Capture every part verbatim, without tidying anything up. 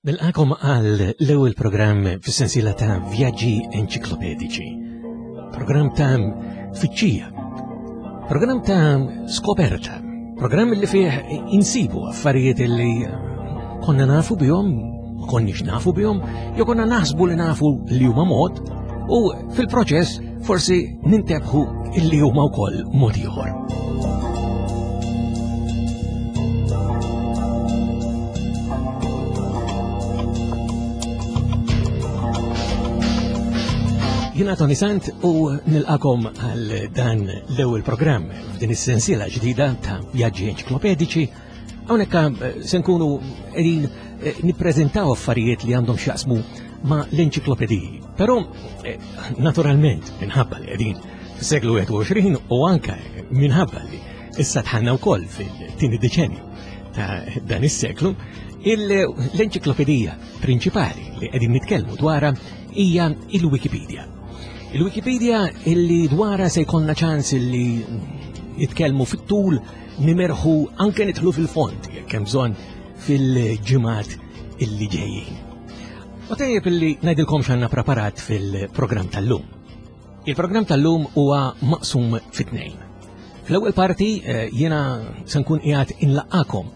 Nilqakom għal l-ewwel programm fis-sensiela ta' vjaġġi enċiklopediċi. Programm ta' tfittxija. Programm ta' skoperta. Programm li fih insibu affarijiet li konna nafu bihom, ma konniex nafu bihom, jew konna naħsbu li nafu li huma mod, u fil-proċess forsi nintebħu illi huma wkoll mod ieħor. Jiena Tony Sant u nilqakom għal dan l-ewwel programm f'din is-sensiela ġdida ta' vjaġġi enċiklopediċi. Hawnhekk eh, se nkunu qegħdin eh, nippreżentaw affarijiet li għandhom x'jaqsmu ma' l-enċiklopediji. Però eh, naturalment minħabba li qegħdin fis-seklu wieħed u għoxrin u anke minħabba li issa tħanna wkoll fil-tieni deċenju ta' dan is-seklu, l-enċiklopedija prinċipali li qegħdin nitkellmu dwarha hija il-Wikipedia. Il-Wikipedia illi dwarha se jkollna ċans illi nitkellmu fit-tul, nimerħu anke nidħlu fil-fond jekk hemm bżonn fil-ġimgħat illi ġejjin. U tajjeb illi ngħidilkom x'għandna preparat fil-programm tal-lum. Il-programm tal-lum huwa maqsum fit-tnejn. Fl-ewwel parti eh, jiena se nkun qiegħed inlaqqakom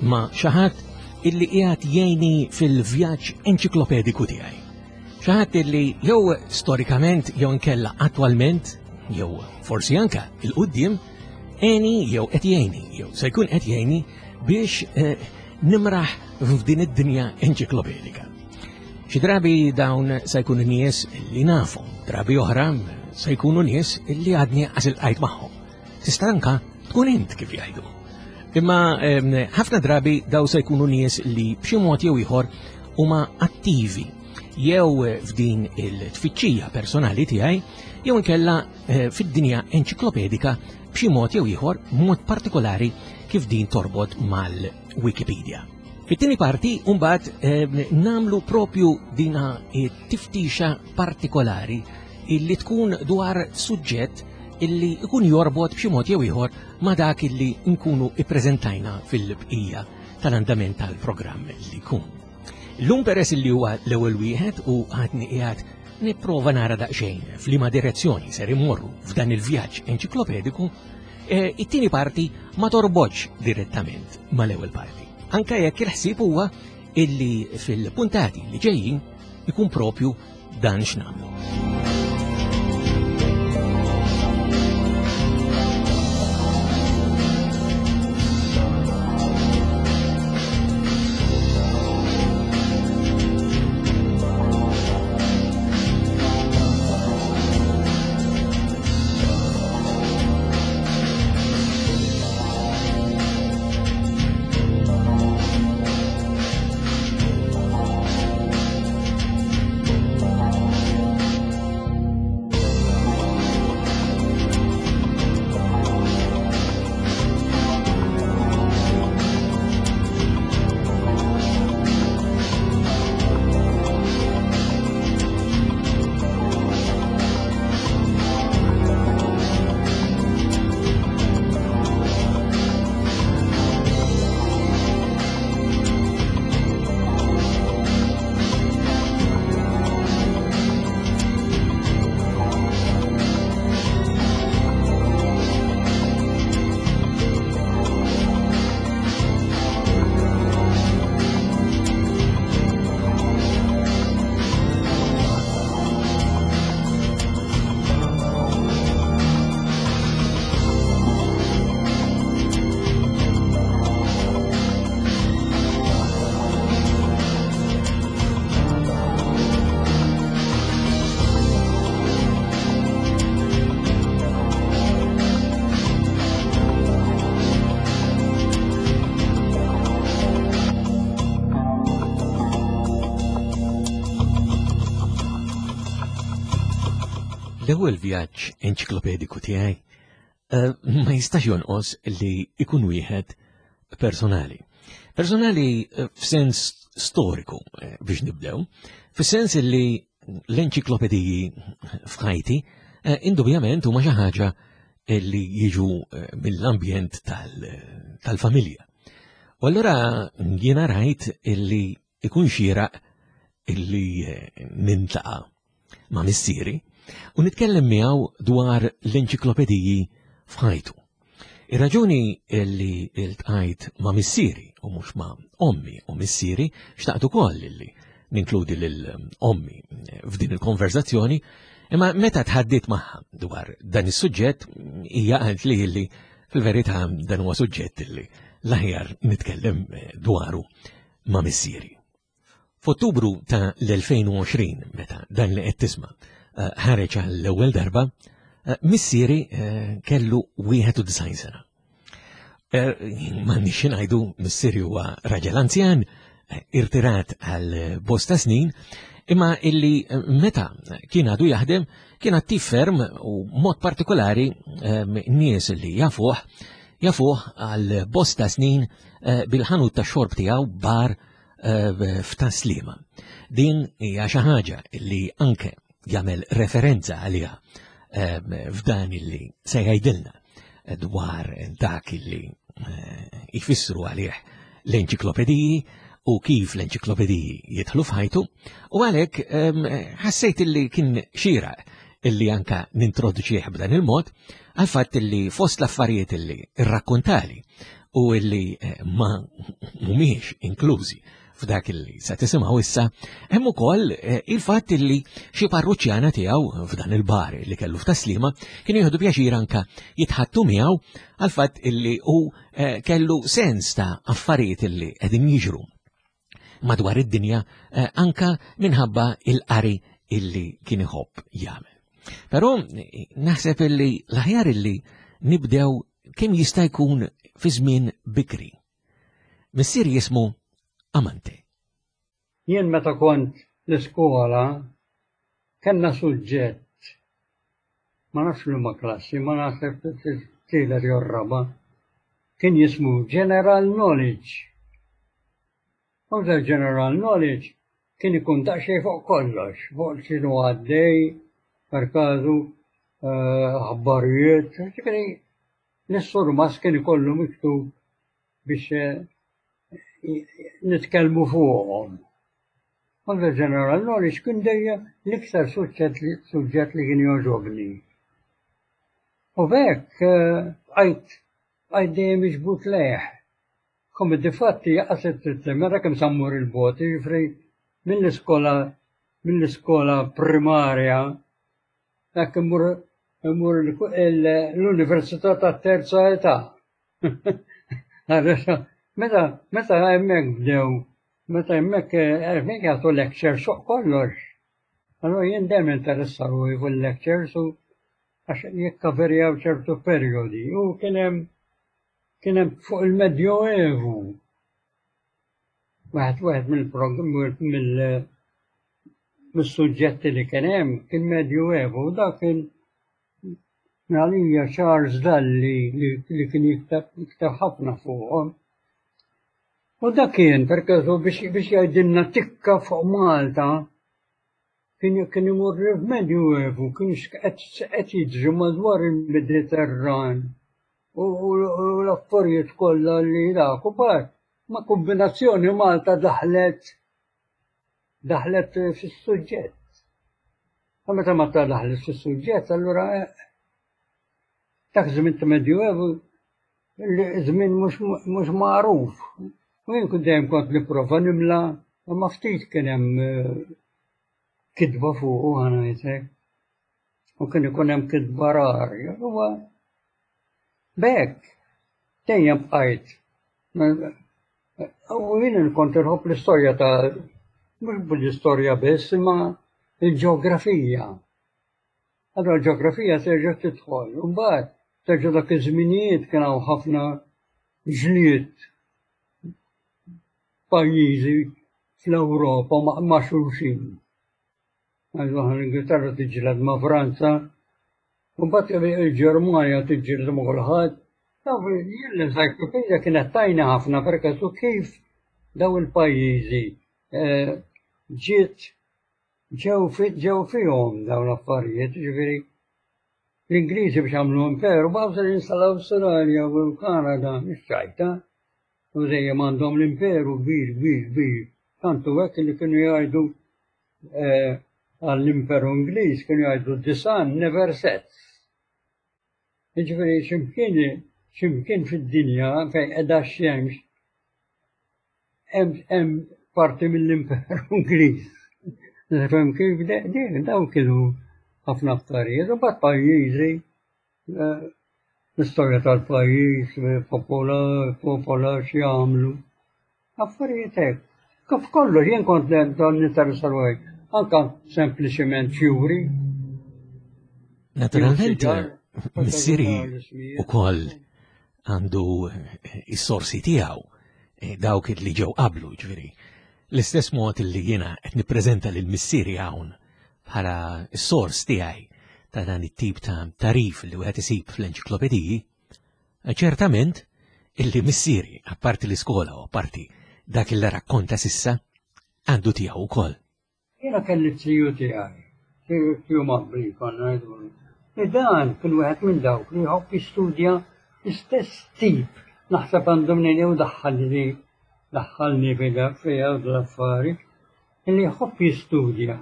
ma' xi ħadd illi qiegħed jgħinni fil-vjaġġ enċiklopediku tiegħi. Xi ħadd illi jew storikament jew inkella attwalment jew forsi anka il-qudiem għeni jew qed jgħinni jew se jkun qed jgħinni biex eh, nimraħ f'din id-dinja enċiklopedika. Xi drabi dawn se jkunu nies li nafhom, drabi oħra se jkunu nies li għadni qas iltqajt magħhom. Tista' anka tkun int kif jgħidu. Imma ehm, ħafna drabi daw se jkunu nies li b'xi mod jew ieħor huma attivi jew f'din il-tfittxija personali tiegħi jew inkella eh, fid-dinja enċiklopedika b'xi mod jew ieħor, mod partikolari kif din torbot mal-Wikipedia. Fit-tieni parti mbagħad eh, namlu propju dina tiftixa partikolari illi tkun dwar suġġett illi ikun jorbot b'xi mod jew ieħor ma' dak illi nkunu ippreżentajna fil-bqija tal-andament tal-programm li jkun. Illum peress li huwa l-ewwel wieħed u għadni qiegħed nipprova nara daqsxejn f'liema direzzjoni ser immorru f'dan il-vjaġġ enċiklopediku, eh, it-tieni parti ma torbotx direttament mal-ewwel parti. Anka jekk il-ħsieb huwa illi fil-puntati li ġejjin ikun propju dan x'nagħmlu. L-ewwel vjaġġ enċiklopediku tiegħi eh, ma jistax jonqos li ikun wieħed personali. Personali eh, f'sens storiku eh, biex nibdew, fis-sens li l-enċiklopediji f'ħajti indubjament huma xi ħaġa li jiġu mill-ambjent tal-familja. U allura jiena rajt illi ikun xieraq illi eh, nintaqa' ma' missieri u nitkellem miegħu dwar l-enċiklopediji f'ħajtu. Ir-raġuni illi iltqajt ma' missieri u mhux ma' ommi u missieri, xtaqt ukoll illi ninkludi lil ommi f'din il-konverzazzjoni, imma meta tħaddit magħha dwar dan is-suġġett hija qalt li illi fil-verità dan huwa suġġett illi l-aħjar nitkellem dwaru ma' missieri. F'Ottubru ta' l-elfejn u għoxrin, meta dan li qed tisma' eh, ħareġ għall-ewwel darba, eh, missieri eh, kellu wieħed u disgħin sena. M'għandniex ngħidu, missieri huwa raġel anzjan, irtirat għal bosta snin, imma illi meta kien għadu jaħdem kien attiv ferm u mod partikolari nies li jafuh jafuh għal bosta snin bil-ħanut ta' xorb tiegħu, bar f'Tas-Sliema. Din hija xi ħaġa li anke jagħmel referenza għaliha f'dan illi se jgħidilna dwar dak illi jfissru għalih l-enċiklopediji u kif l-enċiklopediji jidħlu f'ħajtu, u għalhekk ħassejt illi kien xieraq illi anka nintroduċih b'dan il-mod, għal fatt illi fost l-affarijiet illi rrakkontali u illi ma mhumiex inklużi f'dak illi se tisimgħu issa, hemm ukoll il-fatt illi xi parruċjana tiegħu f'dan il-bar li kellu f'Tas-Sliema kienu jieħdu pjaċir anka jitħattu miegħu għal fatt illi hu kellu sens ta' affarijiet illi qegħdin jiġru madwar id-dinja anka minħabba il-qari illi kien iħobb jagħmel. Però naħseb illi l-aħjar illi nibdew kemm jista' jkun fi żmien bikri. Missier jismu Amante. Jien meta kont l-iskola kellna suġġett, ma nafx liema klassi, ma naħseb tielet jew raba', kien jismu General Knowledge. U General Knowledge kien ikun daqsxejn fuq kollox, fuq x'inhu għaddej, per każu aħbarijiet, ġifieri l-surmas kien ikollu miktub biex nitkellmu fuqhom. U General Knowledge kien dejjem l-iktar suġġett li kien jogħġobni. U b'hekk bqajt bqajt dejjem miġbud lejh. Come difatti jaqas mara kemm sa mmur il-bogħod, jiġifieri mill-iskola mill-iskola primarja hekk immur immur l-Università tat-Terza Età. Meta meta hemmhekk bdew, meta hemmhekk hemmhekk jagħtu lectures fuq kollox. Allura jien dejjem interessa ruħi fuq lectures u għax jikkaverjaw ċertu perjodi u kien hemm kien hemm fuq il-Medjoevu. Wieħed wieħed mill mis-suġġetti li kien hemm kien Medjoevu u dak kien għalija Charles Dalli li kien jikteb ħafna fuqhom. U dak kien per każu biex biex jgħidilna tikka fuq Malta, kien kien imur f'Medjoevu, kien qed jiġri madwar il-Mediterran u l-affarijiet kollha li dak u mbagħad ma' kombinazzjoni Malta daħlet daħlet fis-suġġett. U meta Malta daħlet fis-suġġett, allura dak żmien ta' Medjoevu, żmien mhux magħruf. U jien kont dejjem kont nipprova nimla, imma ftit kien hemm kitba fuqu, ħa ngħidlek. U kien ikun hemm kitba rari. Huwa b'hekk dejjem bqajt. U jien kont inħobb l-istorja ta' mhux l-istorja biss, imma il-ġeografija. Allora l-ġeografija terġa' tidħol. U mbagħad terġa' dak iż-żminijiet kien hawn ħafna ġlied pajjiżi fl-Ewropa ma' xulxin. L-Ingilterra tiġġieled ma' Franza, u mbagħad il-Ġermanja tiġġieled ma' kulħadd. Jien l-encyclopedia kienet tgħinni ħafna perché su kif daw il-pajjiżi ġiet ġew ġew fihom dawn l-affarijiet, ġifieri l-Ingliżi biex għamlu imperu baqgħu se jinstallaw Awstralja u l-Kanada, mhix ċajta. U dejjem għandhom l-imperu kbir, kbir, kbir. Tantu hekk li kienu jgħidu eh, għall-Imperu Ingliż kienu jgħidu "The sun never sets". Jiġifieri x'imkien x'imkien fid-dinja fejn qiegħda x-xemx hemm parti mill-Imperu Ingliż. Fhem kif dawn kienu ħafna affarijiet u mbagħad pajjiżi, eh, l-istorja tal-pajjiż, popola, popola x'jagħmlu. Affarijiet hekk. Kif kollox jien kont dan ninteressa ruħi, anka sempliċement fjuri. Naturalment, missieri ukoll għandu is-sorsi tiegħu, eh, dawk li ġew qablu, ġifieri. L-istess mod li jiena qed nippreżenta lil missieri hawn bħala s-sors tiegħi ta' dan it-tip ta' tagħrif li wieħed isib fl-enċiklopediji, ċertament illi missieri, apparti l-iskola u apparti dak il rakkonta s'issa, għandu tiegħu wkoll. Jiena kelli t-tiju tiegħi, tiju Mabri konna ngħidulu. Li dan kien wieħed minn dawk li jħobb jistudja l-istess tip, naħseb għandu mnejn jew daħħalni daħħalni fiha l-affari, li jħobb jistudja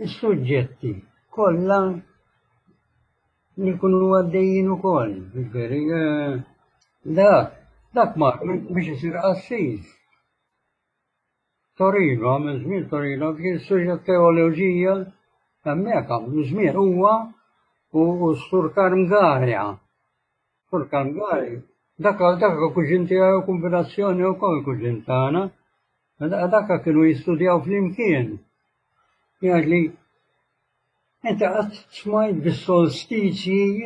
is-suġġetti kollha li jkunu għaddejjin ukoll. Ġifieri, eh, dak, dak mar biex isir qassis. Torino, għamel żmien Torino, kien studja teoloġija, hemmhekk għamlu żmien huwa u s-Sur Karm Garia. Sur Karm Garia, dak dak kuġin tiegħu, kombinazzjoni wkoll kuġin tagħna. Dak kienu jistudjaw flimkien. Jgħid li inti qatt smajt bis-solstizji,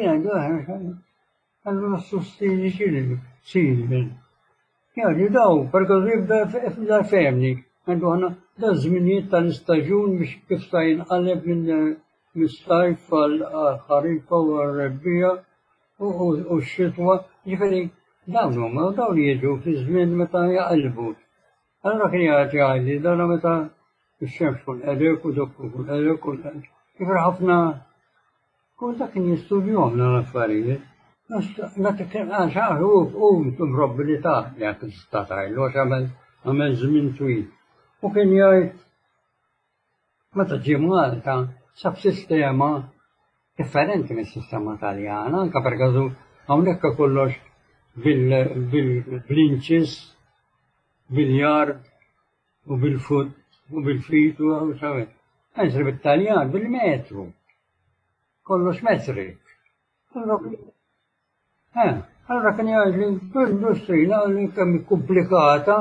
għallu s-solstizji x'inhi? X'inhi? Jgħid li daw, perché jibda femni, għandu ħana da żminijiet tal-istaġun biex kif sa jinqaleb minn mis-sajf għal-ħarifa u għal-rebbiegħa u x-xitwa. Ġifieri dawn huma dawn jiġu fi żmien meta jaqilbu. Allura kien jgħid jgħidli dana meta x-xemx tkun qegħdek u dak tkun qegħdek u ġifieri ħafna kull dak kien jistudjahom dawn l-affarijiet. Għax hu mrobbi li ta' jekk tista' tgħidlu għax għamel għamel żmien twil. U kien jgħid meta ġie Malta sab sistema differenti mis-sistema Taljana, anke per każu hawnhekk kollox bil-inches, bil-yard u bil-foot u bil-feet u sawe. Għax bit-Taljan bil-metru. Kollox metrik. Allora kien jgħid li l-industrija li kemm komplikata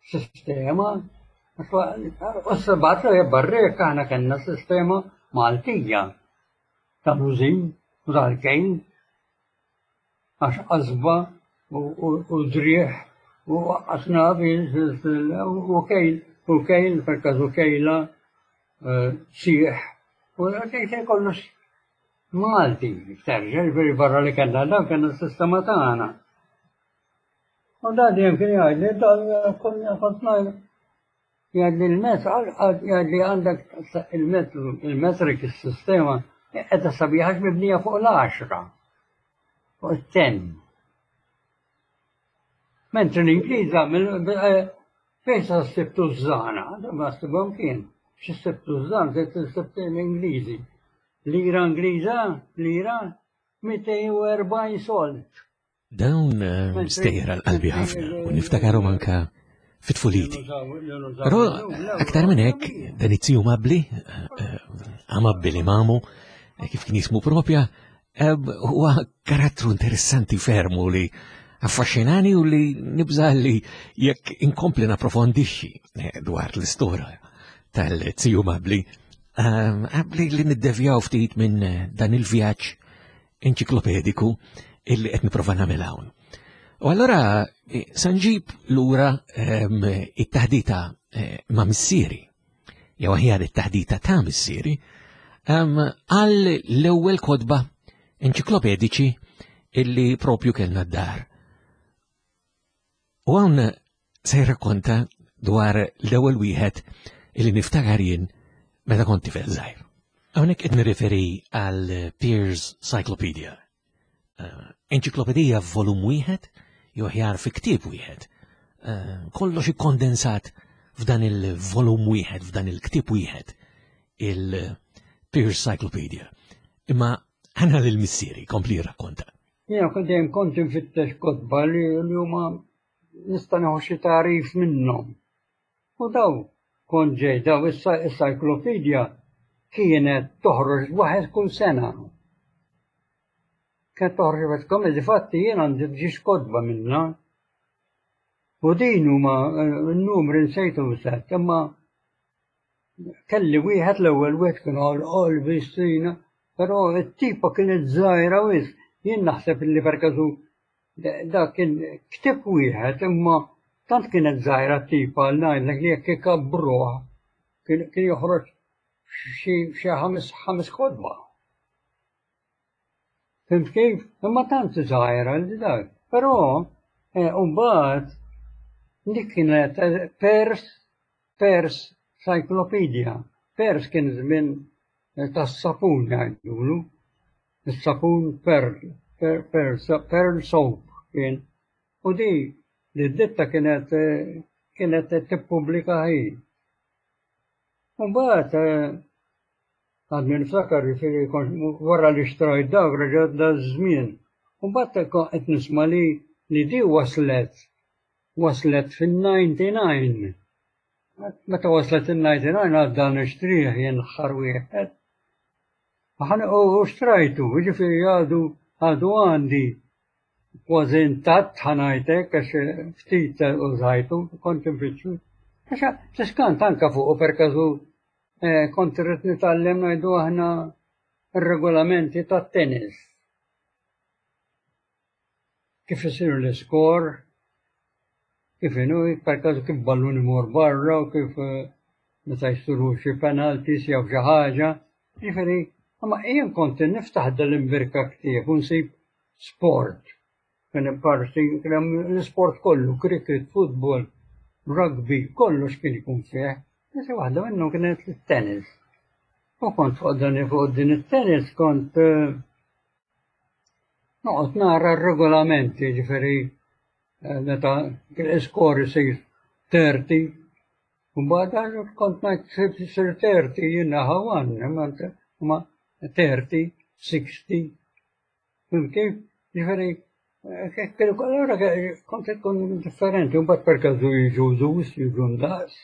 sistema. U s-sabat li barrek aħna kellna sistema Maltija tal-użin u tal-kejl għax qasba u driegħ u għasna u kejl u kejl per każu kejla sieħ u kejl kollox Malti, terġa' ġifieri barra li kellna dan kellna s-sistema tagħna. U da dejjem kien jgħidli dan kont ngħid jgħidli l-metru jgħidli għandek il-metru il-metrik is-sistema qiegħda sabiħa mibnija fuq l-għaxra, fuq it-ten. Mentri l-Ingliż fejn sa ssib tużżana, ma ssibhom kien, xi ssib tużżana, ssib l-Ingliżi. Lira Ingliża, lira mitejn u erbgħin sold. Dawn stejjer għal qalbi ħafna u niftakarhom anka fit-tfuliti. Però aktar minn hekk dan it-tiju Mabli, Amabbili Mamu, kif kien jismu propja, huwa karattru interessanti fermu li affaxxinani u li nibża li jekk inkompli napprofondixxi dwar l-istorja tal-tiju Mabli, għabli li niddevjaw ftit minn dan il-vjaġġ enċiklopediku illi qed nipprova nagħmel hawn. U allora sa nġib lura it-taħdita ma' missieri, jew aħjar it-taħdita ta' missieri, għal l-ewwel kotba enċiklopediċi illi propju kellna d-dar. U hawn se jirrakkonta dwar l-ewwel wieħed illi niftakar jien meta kont tifel żgħir. Hawnhekk qed nirriferi għal Pears Cyclopedia, enċiklopedija f'volum wieħed jew aħjar fi ktieb wieħed, eh, kollox ikkondensat f'dan il-volum wieħed, f'dan il-ktieb wieħed, il-Pearse Cyclopedia. Imma ħana lil missieri kompli rakkonta. Jiena kont dejjem kont infittex kotba li li huma nista' nieħu xi tagħrif minnhom. U daw kont ġej daw is-cyclopedia kienet toħroġ waħed kull sena. Kienet toħroġ waħed kull difatti jien għandi ġiex kotba minnha. U din huma n-numri nsejtu set, imma kelli wieħed l-ewwel wieħed kien għal qalbi stina, però t-tipa kienet żgħira wisq. Jien naħseb li perkażu da kien ktieb wieħed imma tant kienet żgħira t-tipa l ngħidlek li jekk ikabbruh kien kien joħroġ xi xi ħames ħames kotba. Fhimt kif? Imma tant żgħira li dak. Però eh, mbagħad dik kienet eh, Pears Pears Cyclopedia. Pears kien żmien eh, tas-sapun jgħidulu. Is-sapun Pearl, Pearl, Pearl, Pearl Soap kien. U di li d-ditta kienet eh, kienet tippubblika hi. Mbagħad għadni niftakar jiġifieri kont wara li xtrajt dak reġa' da żmien. Mbagħad qed nisma' li li di waslet waslet fin-ninety-nine. Meta waslet in-ninety-nine għadda nixtrih jien l-aħħar wieħed. U xtrajtu, jiġifieri għadu għadu għandi kważi intatt ħa ngħidlek għax ftit użajtu, kont infittxu. Għax tiskant anka fuq per każu eh, kont irrid nitgħallem ngħidu aħna ir-regolamenti tat-tennis. Kif isir l-iskor, kif inhu, per każu kif ballun imur barra u kif eh, meta jsiru xi penalties jew xi ħaġa. Jiġifieri, imma jien kont niftaħ dal-imbirka ktieb u nsib sport. Kien parti kien hemm l-isport kollu, cricket, football, rugby, kollox kien ikun fih. Issa waħda minnhom kienet it-tennis. U kont fuq dan fuq din it-tennis kont eh, noqgħod nara r-regolamenti, ġifieri eh, meta l-iskor isir thirty, u mbagħad kont ngħid isir thirty jiena ħawan, imma thirty, sixty, fhimt kif? Ġifieri, eh, allura kont ikun differenti, u mbagħad per każu jiġu deuce, jiġu ndaqs.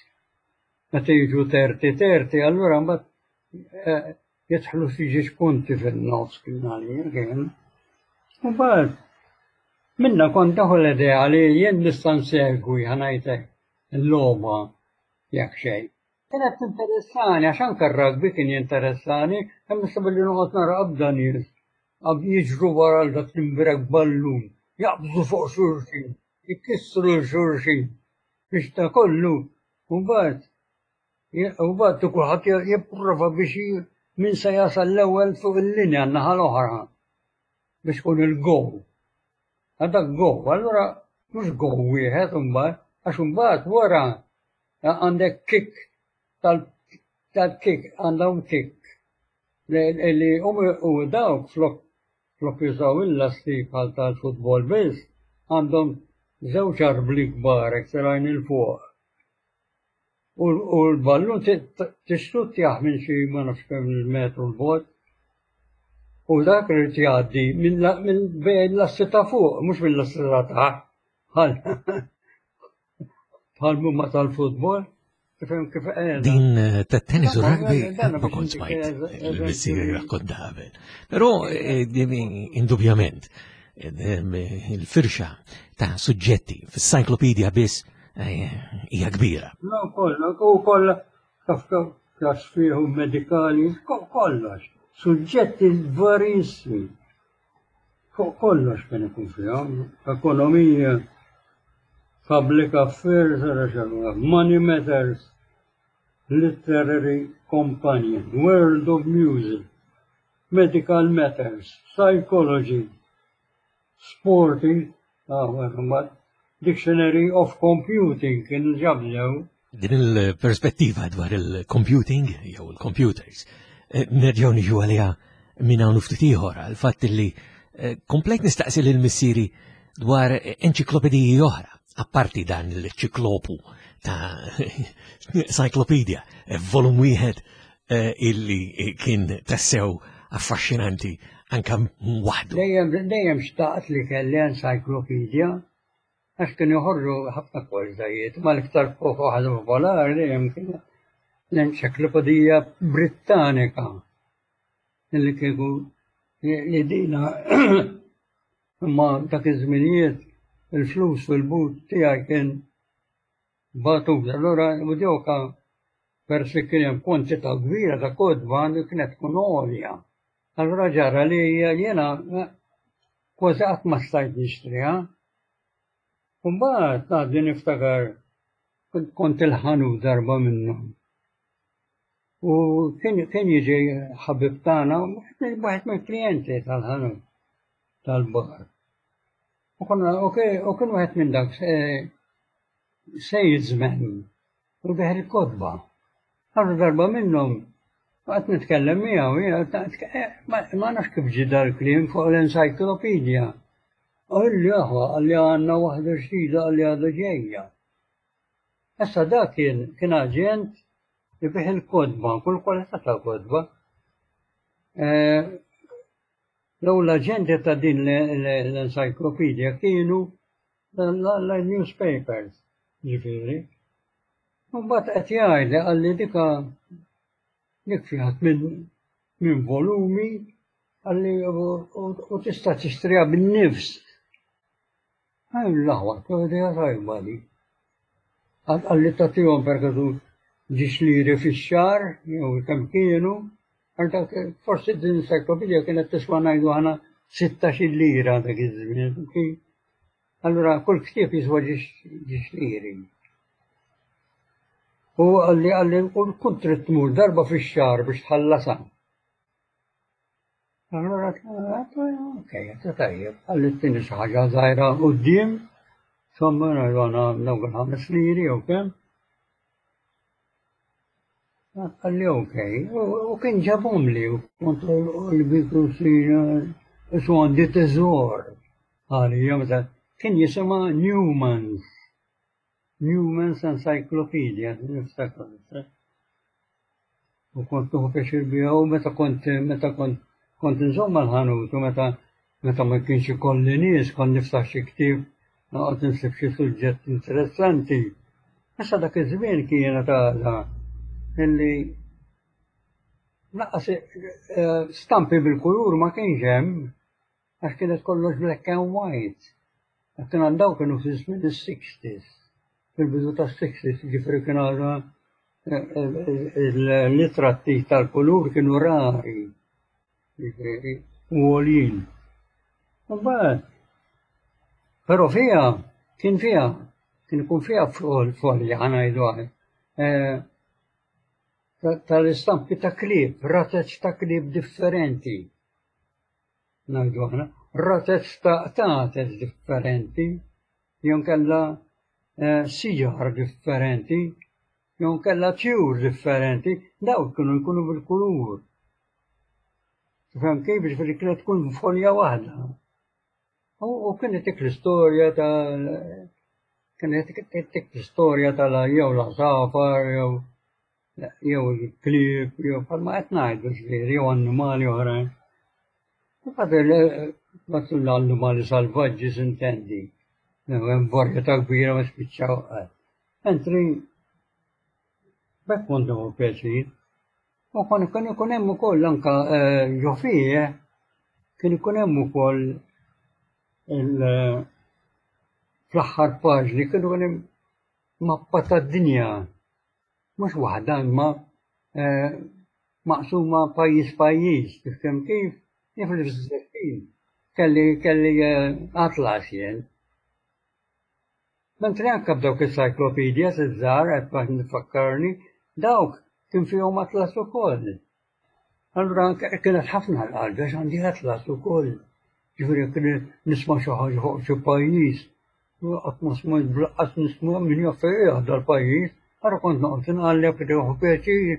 Meta jiġu thirty thirty, allura mbagħad eh, jidħlu xi ġiex punti fin-nofs kien għalija kien. U mbagħad minna kont daħu l-idea li jien nista' nsegwi ħa ngħidlek il-logħba jekk xejn. Kienet interessani, għax anke r-rugby kien jinteressani, hemm issa billi noqgħod nara qabda nies għab jiġru wara dak l-imbrek ballun, jaqbżu fuq xulxin, jkissru xulxin, biex ta' kollu, u mbagħad u mbagħad kulħadd jipprova biex min se jasal l-ewwel fuq il-linja n-naħa l-oħra biex kun il-goal. Għadak goal, allura mhux goal wieħed imbagħad, għax imbagħad wara għandek kick tal-kick, għandhom kick. Li u dawk flok flok jużaw il-lasti bħal tal-futbol biss, għandhom żewġ arbli kbar telgħin 'il fuq. U l-ballun tixxuttjah minn xi ma nafx kemm il-metru 'l bogħod. U dak irid jgħaddi minn bejn l-assi ta' fuq, mhux mill-assi ta' taħt. Bħal mumma tal-futbol. Din eh, ta' tennis u rugby ma kont smajt il-missieri rakkonta qabel. Però eh, indubjament eh, il-firxa ta' suġġetti fis-cyclopedia biss hija kbira. No, kollha, u kollha taf klas fihom medikali, kollox. Suġġetti varissimi. Fuq kollox kien ikun fihom, ekonomija, public affairs, money matters, literary companion, world of music, medical matters, psychology, sporting, ah, dictionary of computing kien ġablew. Din il-perspettiva dwar il-computing jew il-computers, eh, nerġgħu niġu għaliha minn hawn ftit ieħor għal fatt li eh, komplejt nistaqsi lil missieri dwar enċiklopediji oħra Apparti dan il-ċiklopu ta' Cyclopedia, volum wieħed eh, illi kien tassew affaxxinanti anka waħdu. Dejjem dejjem xtaqt li kelli encyclopedia għax kienu joħorġu ħafna kwalitajiet, ma l-iktar waħda popolari dejjem kien l-Enċiklopedija Brittanika illi kieku li dina imma dak iż-żminijiet il-flus fil-but tiegħi kien batut. Allura u dewka peress li kien hemm kwantità kbira ta' kotba li kienet tkun għolja. Allura ġara li jiena kważi qatt ma stajt nixtriha. Mbagħad għadni niftakar kont il-ħanut darba minnhom. U kien kien jiġi ħabib tagħna, wieħed mill-klijenti tal-ħanut tal-bar. U konna u kien wieħed minn dak salesman u beħ il-kotba. Allura darba minnhom Għat nitkellem miegħu, ma nafx kif ġie dal-kliem fuq l-encyclopedia. Qalli aħwa, qalli għandna waħda ġdida, qalli għadha ġejja. Issa dak kien kien aġent ibigħ il-kotba, kull kwalità ta' kotba. L-ewwel aġenti ta' din l-encyclopedia kienu l-newspapers, ġifieri. U mbagħad qed jgħidli qalli dika dik fiha minn volumi qalli u tista' tixtriha bin-nifs. L-aħwa, idea tajba di. Qalli tagħtihom perkażu ġiex liri fix-xahar jew kemm kienu, forsi din encyclopedia kienet tiswa ngħidu aħna sittax-il lira dak iż-żmien. Allura kull ktieb jiswa ġiex liri. U qalli qalli kont trid tmur darba fix-xahar biex tħallasha. Allura okej, tajjeb, qalli tini xi ħaġa żgħira quddiem, insomma ngħidu aħna dawk il-ħames liri jew kemm. Qalli okej, u kien ġabhomli u kont qalbi isu għandi teżor għalija meta kien jisimha Newman's. Newman's Encyclopedia, niftakar. U kont nieħu pjaċir biha u meta kont meta kont kont inżomm mal-ħanut u meta meta ma kienx ikolli nies kont niftaħ xi ktieb noqgħod insib xi suġġett interessanti. Issa dak iż-żmien kienet għadha illi lanqas stampi bil-kulur ma kienx hemm għax kienet kollox black and white. Kien daw kienu fi żmien is-sixties, fil-bidu tas-sixties, ġifieri kien għadha il-ritratti tal-kulur kienu rari, ġifieri, u għoljin. Mbagħad, però fiha, kien fiha, kien ikun fiha folja ħa ngħidu aħna, tal-istampi ta' klieb, razez ta' klieb differenti. Ngħidu aħna, razez ta' qtates differenti, jew kellha siġar differenti, jew kellha tjur differenti, dawk kienu jkunu bil-kulur. Tifhem kif? Ġifieri kienet tkun folja waħda. U kienet dik l-istorja ta' kienet dik l-istorja tal jew l-għasafar jew jew il-klieb jew bħalma qed ngħidu ġifieri jew annimali oħrajn. Mbagħad l-annimali salvaġġi s'intendi. Hemm varjetà kbira ma spiċċaw qatt. Mentri b'hekk kont nieħu pjaċir. U kon kien ikun hemm ukoll anka ġo fih kien ikun hemm ukoll fl-aħħar paġni kien ikun hemm mappa tad-dinja. Mhux waħda imma maqsuma pajjiż pajjiż, tifhem kif? Jien fl-istess kelli kelli atlas jien. Mentri anke b'dawk il-encyclopedias iż-żgħar qed nifakkarni, dawk kien fihom atlas ukoll. Allura kienet ħafna l-qalbi għax għandi atlas ukoll. Ġifieri kien nisma' xi ħaġa fuq xi pajjiż, qatt ma smajt bl-aqqas nisma' min jaf fejn qiegħed dal-pajjiż, allura kont noqgħod inqalleb nieħu pjaċir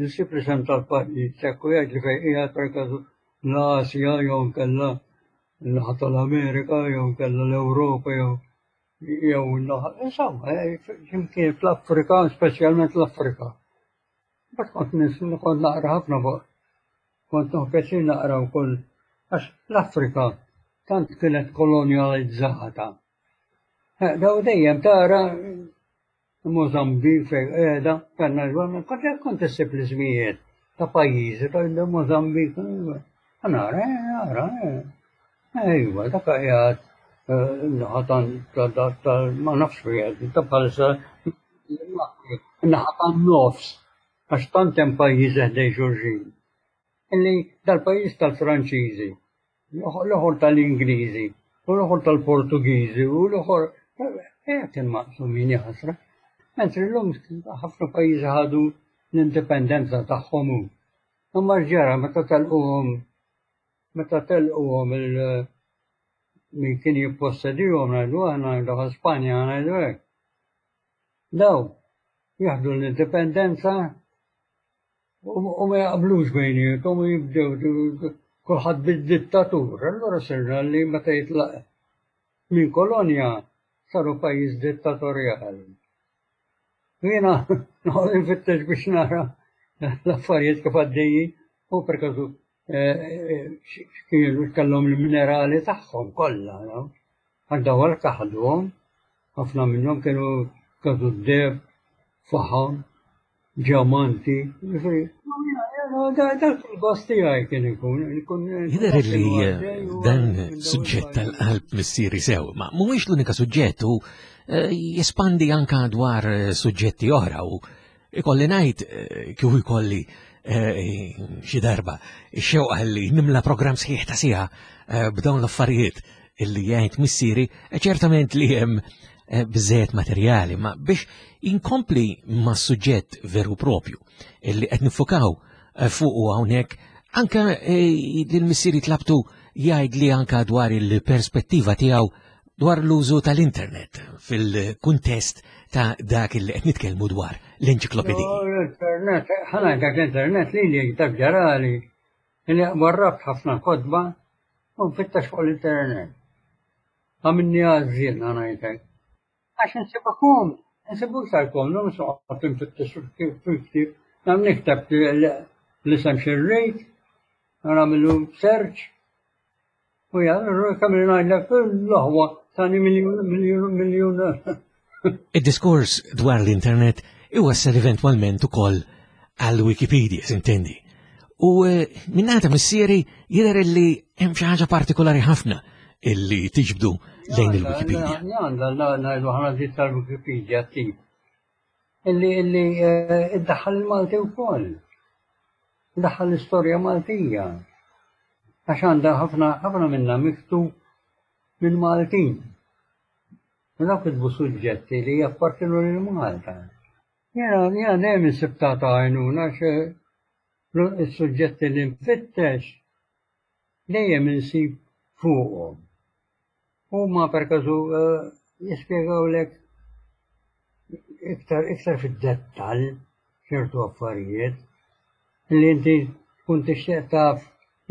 nsib l-isem tal-pajjiż, hekk u jgħidli fejn qiegħed perkażu l-Asja jew inkella n-naħa tal-Amerika jew inkella l-Ewropa jew Jew insomma, x'imkien fl-Afrika, speċjalment l-Afrika. Mbagħad kont kont naqra ħafna fuq, kont nieħu pjaċir naqra wkoll għax l-Afrika tant kienet kolonjalizzata. Daw dejjem tara Mozambik fejn qiegħda, kellna kont kont issib l-ismijiet ta' pajjiżi ta' Mozambik. Nara, nara, ejwa, dak qiegħed naħa ta' ma nafx fejn ta' bħalissa naħa tan-nofs għax tant hemm pajjiżi ħdejn xulxin. Illi dal-pajjiż tal-Franċiżi, l-oħor tal-Ingliżi, u l-oħor tal-Portugiżi, u l-oħor kien maqsumin ħasra. Mentri llum ħafna pajjiżi ħadu l-indipendenza tagħhom hu. Imma x'ġara meta telquhom meta telquhom il min kien jippossedihom ngħidu aħna ngħidu Spanja ngħidu hekk. Daw jieħdu l-indipendenza u ma jaqblux bejniethom u jibdew kulħadd bid-dittatur. Allura sirna li meta jitlaq minn kolonja saru pajjiż dittatorjali. Jiena noqgħod infittex biex nara l-affarijiet kif għaddejjin u per każu kienu kellhom il-minerali tagħhom kollha, għax daw għalhekk ħaduhom, ħafna minnhom kienu każu d-deheb, faħam, ġamanti, dak il-gost tiegħi kien ikun. Jidher li dan suġġett tal-qalb missieri sew, ma mhuwiex l-unika suġġett u jespandi anka dwar suġġetti oħra u ikolli ngħid kieku jkolli xi darba ix-xewqa li nimla programm sħiħ ta' siegħa b'dawn l-affarijiet illi jgħid missieri, ċertament li hemm biżżejjed materjali, ma biex inkompli ma' suġġett veru propju illi qed nifukaw fuq hawnhekk, anka lil missieri tlabtu jgħid li anka dwar il-perspettiva tiegħu dwar l-użu tal-internet fil-kuntest ta' dak li qed nitkellmu dwar l-enċiklopediji. L-internet, ħana dak l-internet li li dak ġarali li warrabt ħafna kotba u nfittax fuq l-internet. Għamilni għażżien ngħidlek. Għax nsibukom, nsibu iktar komdu, mhux noqgħod nfittex fil-ktieb, nagħmel nikteb l-isem xirrejt, nagħmlu search, u jgħal, kemm ngħidlek l-aħwa tani miljun, miljun, miljun. Id-diskors dwar l-internet iwassal eventwalment ukoll għal Wikipedia, sintendi. U minnata missieri jidher li hemm xi ħaġa partikolari ħafna illi tiġbdu lejn il-Wikipedia. Għandha ngħidu ħana ġiet tal-Wikipedia tip. Illi illi iddaħħal il-Malti wkoll. Iddaħħal l-istorja Maltija. Għax għandha ħafna ħafna minnha miktub minn Maltin. U dawk kitbu suġġetti li jappartienu lil Malta. Jiena jiena dejjem insib ta' għajnuna għax is-suġġetti li nfittex dejjem insib fuqhom. Huma per każu jispjegawlek iktar iktar fid-dettall ċertu affarijiet li inti tkun tixtieq taf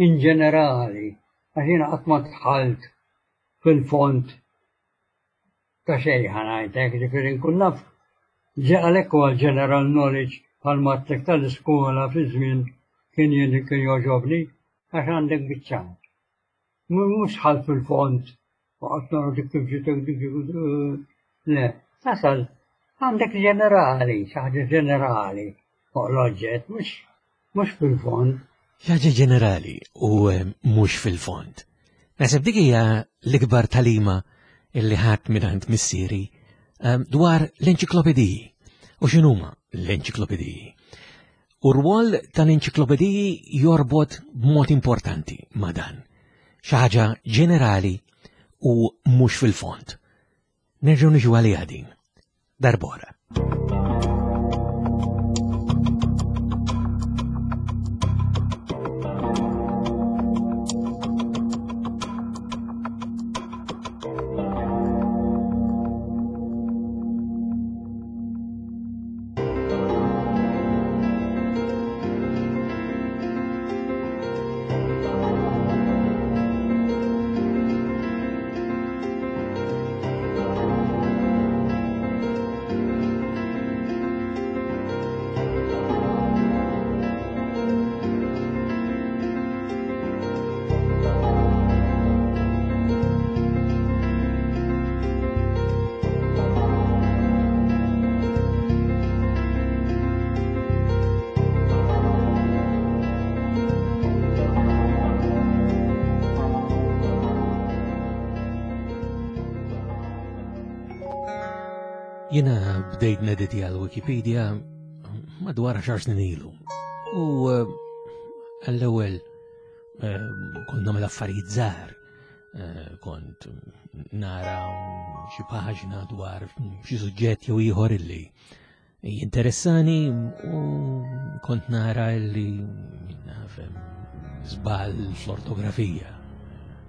in ġenerali, għax jiena qatt ma dħalt fil-fond ta' xejn ħa ngħidlek, ġifieri nkun naf għalhekk huwa general knowledge bħalma għedtlek tal-iskola fi żmien kien jien kien jogħġobni għax għandek biċċa. Mhux dħalt fil-fond u qatt nara dik kif ġiet dik le, tasal għandek ġenerali, xi ħaġa ġenerali fuq l-oġġett, mhux mhux fil-fond. Xi ħaġa ġenerali u mhux fil-fond. Naħseb dik hija l-ikbar talima illi ħadd mingħand missieri dwar l-enċiklopediji. U x'inhuma l-enċiklopediji? U r-rwol tal-enċiklopediji jorbot b'mod importanti ma' dan. Xi ħaġa ġenerali u mhux fil-fond. Nerġgħu niġu għaliha din. Darbora. Jiena bdejt nediti għal Wikipedia madwar għaxar snin ilu. U eh, għall-ewwel eh, kont nagħmel affarijiet żgħar. Eh, kont nara xi paġna dwar xi suġġett jew ieħor illi jinteressani u kont nara illi nafhem żball fl-ortografija,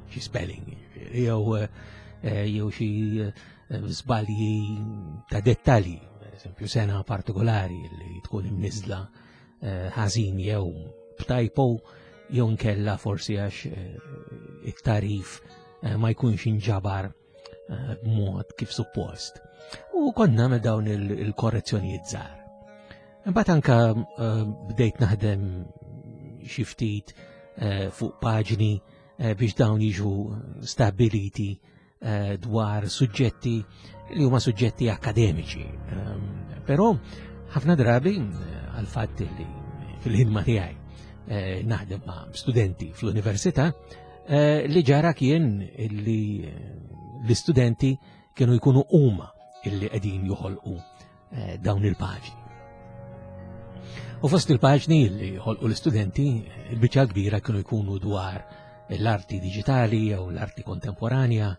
xi spelling, jew jew xi żbalji ta' dettalji, per eżempju sena partikolari li tkun imniżla eh, ħażin jew b'typo jew nkella forsi għax eh, it-tarif eh, ma jkunx inġabar b'mod kif suppost. U kont nagħmel dawn il-korrezzjonijiet żgħar. Imbagħad anka bdejt naħdem xi ftit fuq paġni biex dawn jiġu stabiliti Eh, dwar suġġetti li huma suġġetti akademiċi. Ehm, però ħafna drabi eh, għal fatt li fil-ħidma tiegħi eh, naħdem ma' studenti fl-università li ġara kien li l-istudenti kienu jkunu huma illi qegħdin joħolqu dawn il-paġni. U fost il-paġni li ħolqu l-istudenti, il-biċċa kbira kienu jkunu dwar l-arti digitali jew l-arti kontemporanja,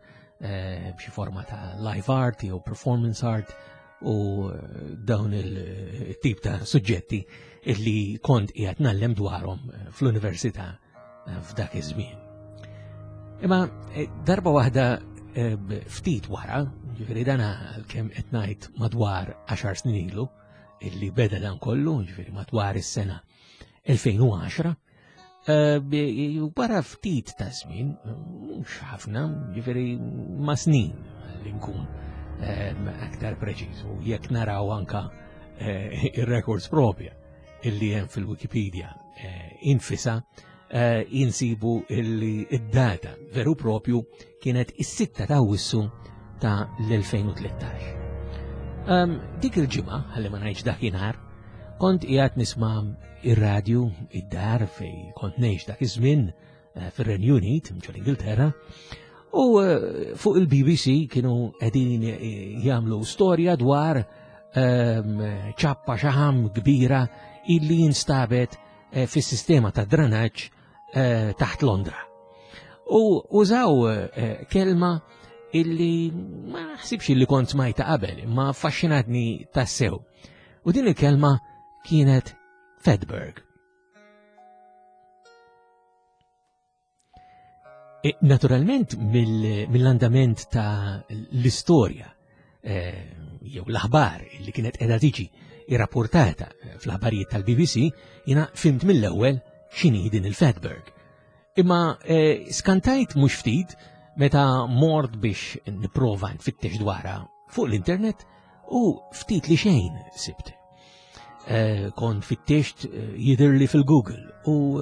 Eh, b'xi forma ta' live art jew performance art u eh, dawn il-tip ta' suġġetti illi kont qiegħed ngħallem dwarhom eh, fl-università f'dak iż-żmien. Imma darba waħda ftit wara, ġifieri dan kemm qed ngħid madwar għaxar snin ilu, illi beda dan kollu, ġifieri madwar is-sena elfejn u għaxra, wara ftit ta' żmien, mhux ħafna, ġifieri ma' snin li nkun aktar preċiż, u jekk naraw anka ir-records propja illi hemm fil-Wikipedia infisa, insibu illi id-data veru propju kienet is-sitta ta' Awwissu ta' l-elfejn u tlettax. Dik il-ġimgħa, ħalli ma ngħidx dakinhar, kont qiegħed nisma' ir-radju id-dar fej kont ngħix dak iż-żmien, eh, fir-Renju Unit, ġol Ingilterra, u, eh, fuq il-B B C kienu qegħdin, eh, jagħmlu storja dwar, ehm, ċappa xaħam kbira illi jinstabet, eh, fis-sistema ta' dranaġġ, eh, taħt Londra. U użaw, eh, kelma illi ma naħsibx illi kont smajta qabel, imma affaxxinatni tassew. U din il-kelma kienet Fedberg. E, naturalment, mill-, mill-andament ta' l-istorja, eh, jew l-aħbar li kienet qiegħda tiġi irrapportata fl-aħbarijiet tal-B B C, jiena fimt mill-ewwel x'inhi din il-Fedberg. Imma, eh, skantajt mhux ftit meta mort biex nipprova nfittex dwarha fuq l-internet u ftit li xejn sibt. Eh, kont fittext, eh, jidhirli fil-Google u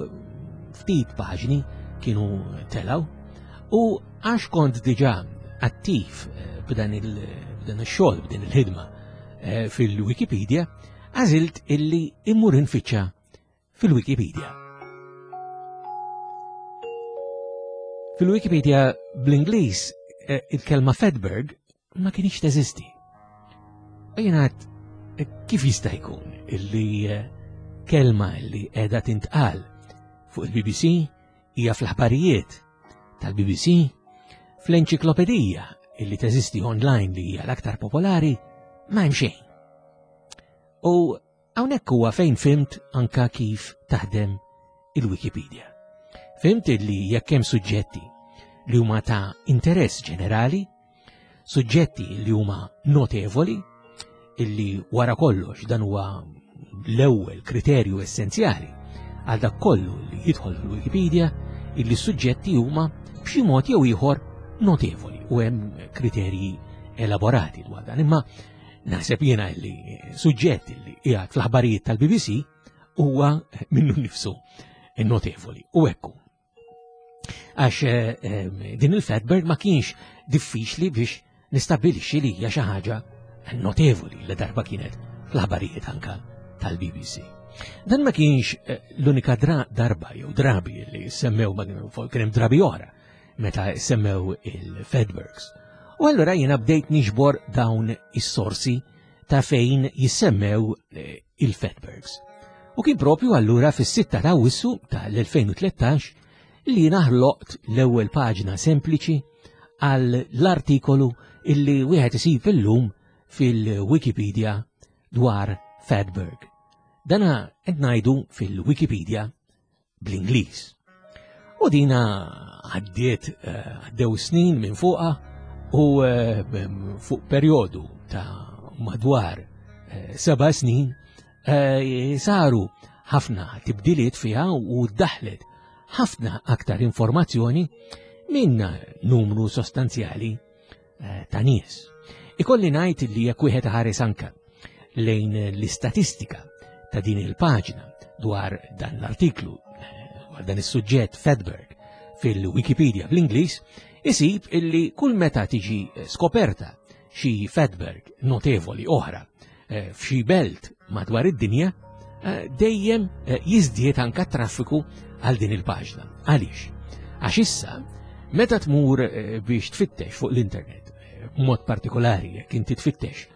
ftit paġni kienu telaw, u għax kont diġà attiv, eh, b'dan il-, b'dan ix-xogħol, b'din il-ħidma, eh, fil-Wikipedia, għażilt illi immur infittxa fil-Wikipedia. Fil-Wikipedia bl-Ingliż, eh, il-kelma Fedberg ma kienx teżisti. U jiena għedt, eh, kif jista' jkun illi, eh, kelma illi qiegħda tintqal fuq il-B B C hija fl-aħbarijiet tal-B B C, fl-enċiklopedija illi teżisti online li hija l-aktar popolari, ma hemm xejn. U hawnhekk huwa fejn fimt anka kif taħdem il-Wikipedia. Fimt illi jekk hemm suġġetti li huma ta' interess ġenerali, suġġetti li huma notevoli, illi wara kollox dan huwa l-ewwel kriterju essenzjali għal dak kollu li jidħol fil-Wikipedia, illi suġġetti huma b'xi mod jew ieħor notevoli u hemm kriterji elaborati dwar dan. Imma naħseb jiena li suġġett li qiegħed fl-aħbarijiet tal-B B C huwa minnu nnifsu notevoli u hekk hu. Għax, eh, eh, din il-Fedberg ma kienx diffiċli biex nistabbilixxi li hija xi ħaġa notevoli li darba kienet fl-aħbarijiet anka tal-B B C. Dan ma kienx, eh, l-unika dra-, darba jew drabi li semmew, ma kienu fuq, kien hemm drabi oħra meta semmew il-Fedbergs. U allura jiena bdejt niġbor dawn is-sorsi ta' fejn jissemmew il-Fatbergs. U kien propju allura fis-sitta ta' Awwissu tal-elfejn u tlettax li naħloqt l-ewwel paġna sempliċi għal l-artikolu illi wieħed isib illum fil-Wikipedia dwar Fatberg. Dana qed ngħidu fil-Wikipedia bl-Ingliż. U dina għaddiet, għaddew snin minn fuqha u fuq perjodu ta' madwar seba' snin saru ħafna tibdiliet fiha u daħlet ħafna aktar informazzjoni minn numru sostanzjali ta' nies. Ikolli ngħid li jekk wieħed ħares anke lejn l-istatistika ta' din il-paġna dwar dan l-artiklu, dwar dan is-suġġett Fatberg fil-Wikipedia bl-Ingliż, isib illi kull meta tiġi skoperta xi Fatberg notevoli oħra f'xi belt madwar id-dinja, dejjem jiżdied anka traffiku għal din il-paġna. Għaliex? Għax issa, meta tmur biex tfittex fuq l-internet, b'mod partikolari jekk inti tfittex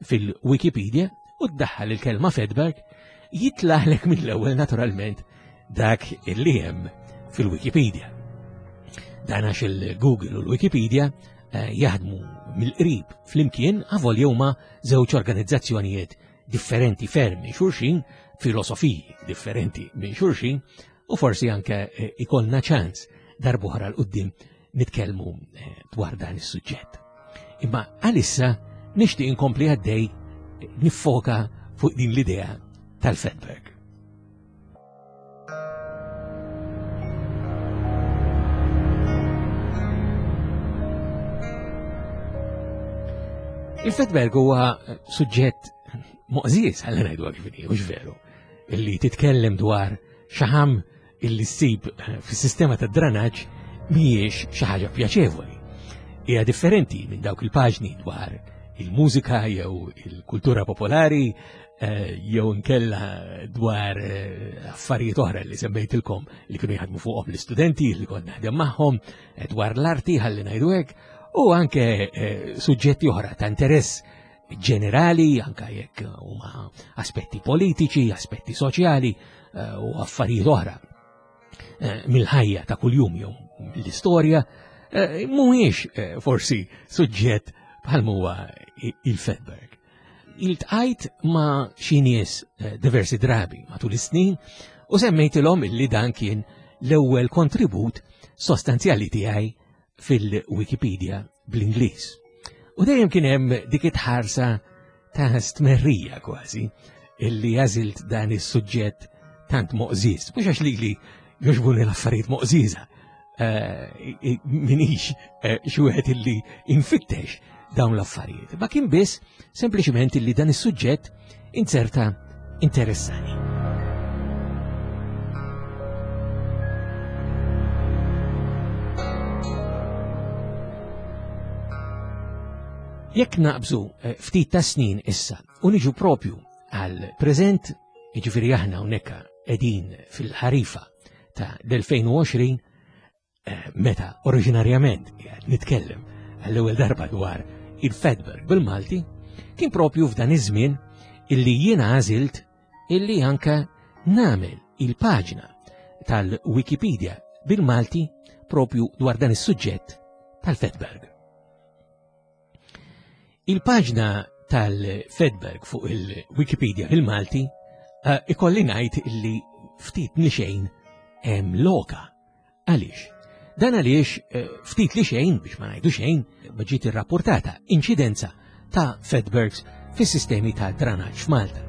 fil-Wikipedia u ddaħħal il-kelma Fatberg, jitlaħlek mill-ewwel naturalment dak illi hemm fil-Wikipedia. Dan għax il-Google u l-Wikipedia jaħdmu mill-qrib flimkien avolja huma żewġ organizzazzjonijiet differenti ferm minn xulxin, filosofiji differenti minn xulxin, u forsi anke ikollna ċans darb'oħra l quddiem nitkellmu dwar dan is-suġġett. Imma għalissa nixtieq inkompli għaddej niffoka fuq din l-idea tal-Fatberg. Il-Fatberg huwa suġġett moqżież, ħalli ngħidu kif inhi, mhux veru, illi titkellem dwar xaħam illi ssib fis-sistema tad-dranaġġ mhijiex xi ħaġa pjaċevoli. Hija differenti minn dawk il-paġni dwar il-mużika jew il-kultura popolari jew inkella dwar affarijiet oħra li semmejtilkom li kienu jaħdmu fuqhom l-istudenti li kont naħdem magħhom, dwar l-arti ħalli ngħidu hekk, u anke suġġetti oħra ta' interess ġenerali, anke jekk huma aspetti politiċi, aspetti soċjali u affarijiet oħra mill-ħajja ta' kuljum jew mill-istorja, mhuwiex forsi suġġett bħal huwa il-Fatberg. Iltqajt ma' xi nies diversi drabi matul is-snin u semmejtilhom illi dan kien l-ewwel kontribut sostanzjali tiegħi fil-Wikipedia bl-Ingliż. U dejjem kien hemm dik it-ħarsa ta' stmerrija kważi illi għażilt dan is-suġġett tant moqżież. Mhux għax lili jogħġbuni l-affarijiet moqżieża, minix xi wieħed illi infittex dawn l-affarijiet. Ma kien biss sempliċement illi dan is-suġġett inzerta interessani. Jekk naqbżu ftit ta' snin issa u niġu propju għal preżent, jiġifieri aħna hawnhekk qegħdin fil-ħarifa ta' l-elfejn u għoxrin, meta oriġinarjament qiegħed nitkellem għall-ewwel darba dwar il-Fatberg bil-Malti, kien propju f'dan iż-żmien illi jiena għażilt illi anke nagħmel il-paġna tal-Wikipedia bil-Malti propju dwar dan is-suġġett tal-Fatberg. Il-paġna tal-Fatberg fuq il-Wikipedia bil-Malti ikolli ngħid illi ftit li xejn hemm loka. Għaliex? Dan għaliex ftit li xejn, biex ma ngħidu xejn, ma ġiet irrapportata inċidenza ta' Fatbergs fis-sistemi ta' dranaġġ f'Malta.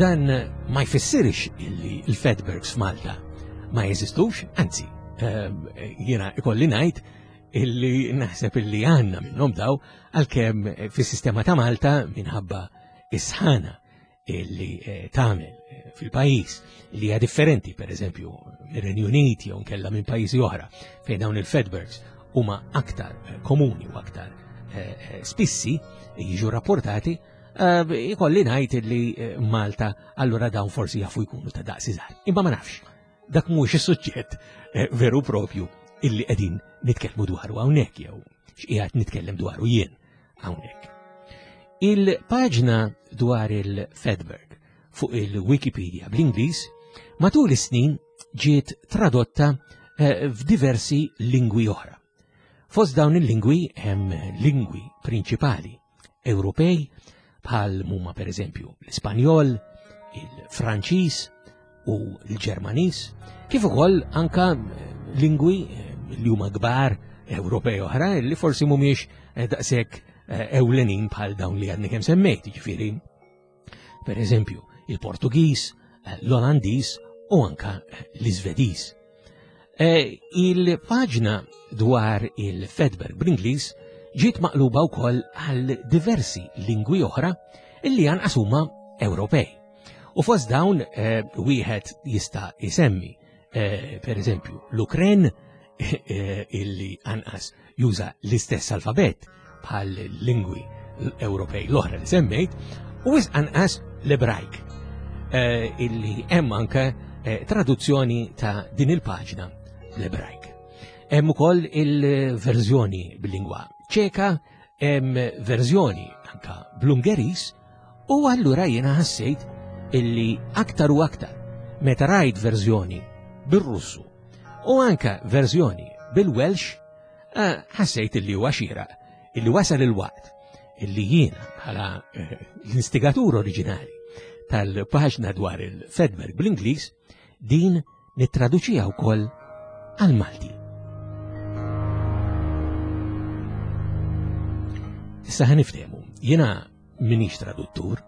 Dan ma jfissirx illi l-Fatbergs f'Malta ma jeżistux, anzi, jiena ikolli ngħid illi naħseb illi għandna minnhom daw, għalkemm fis-sistema ta' Malta minħabba is-sħana illi tagħmel fil-pajjiż li hija differenti pereżempju mir-Renju Unit jew nkella minn pajjiżi oħra fejn dawn il-Fatbergs huma aktar komuni u aktar spissi jiġu rapportati, ikolli ngħid illi Malta allura dawn forsi jafu jkunu ta' daqs iżgħar. Imma ma nafx, dak mhuwiex is-suġġett veru propju illi qegħdin nitkellmu dwaru hawnhekk jew x'qiegħed nitkellem dwaru jien hawnhekk. Il-paġna dwar il-Fedberg fuq il-Wikipedia bl-Ingliż matul is-snin ġiet tradotta eh, f'diversi lingwi oħra. Fost dawn il-lingwi hemm lingwi prinċipali Ewropej bħal huma pereżempju l-Ispanjol, il-Franċiż u l-Ġermaniż, kif ukoll anka lingwi eh, li huma kbar Ewropej oħra li forsi mhumiex eh, daqshekk eh, ewlenin bħal dawn li għadni kemm semmejt, jiġifieri per eżempju il-Portugiż, l-Olandiż u anka l-Iżvediż. Il-paġna dwar il-Fedberg bl-Ingliż ġiet maqluba wkoll għal diversi lingwi oħra illi anqas huma Ewropej. U fost dawn eh, wieħed jista' isemmi eh, per eżempju l-Ukren eh, illi anqas juża l-istess alfabet bħal lingwi Ewropej l-oħra li semmejt, u wisq anqas l-Ebrajk illi hemm anke traduzzjoni ta' din il-paġna l-Ebrajk. Hemm ukoll il-verżjoni bil-lingwa ċeka, hemm verżjoni anka bl-Ungeris, u allura jiena ħassejt illi aktar u aktar meta rajt verżjoni bir-Russu u anka verżjoni bil-Welsh, eh, ħassejt illi huwa xieraq illi wasal il-waqt illi jiena bħala eh, l-instigatur oriġinali tal-paġna dwar il-Fedberg bl-Ingliż din nittraduċiha wkoll għal-Malti. Issa ħa niftehmu, jiena minix traduttur,